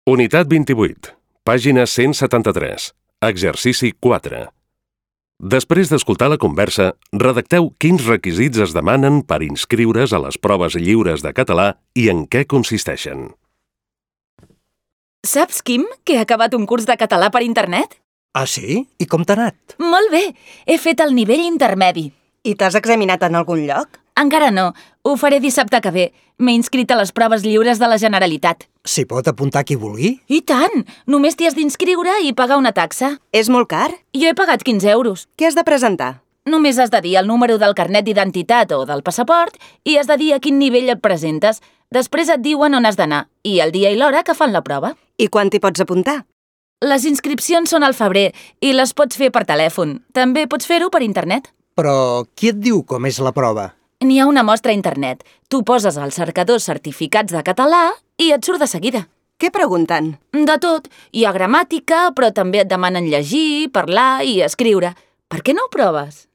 Unitat 28, pàgina 173, exercici 4. Després d'escoltar la conversa, redacteu quins requisits es demanen per inscriure's a les proves lliures de català i en què consisteixen. Saps, Quim, que he acabat un curs de català per internet? Ah, sí? I com t'ha anat? Molt bé! He fet el nivell intermedi. I t'has examinat en algun lloc? Encara no. Ho faré dissabte que ve. M'he inscrit a les proves lliures de la Generalitat. S'hi pot apuntar qui vulgui? I tant! Només t'hi has d'inscriure i pagar una taxa. És molt car? Jo he pagat 15 euros. Què has de presentar? Només has de dir el número del carnet d'identitat o del passaport i has de dir a quin nivell et presentes. Després et diuen on has d'anar i el dia i l'hora que fan la prova. I quan t'hi pots apuntar? Les inscripcions són al febrer i les pots fer per telèfon. També pots fer-ho per internet. Però qui et diu com és la prova? N'hi ha una mostra a internet. Tu poses al cercador certificats de català i et surt de seguida. Què pregunten? De tot. Hi ha gramàtica, però també et demanen llegir, parlar i escriure. Per què no ho proves?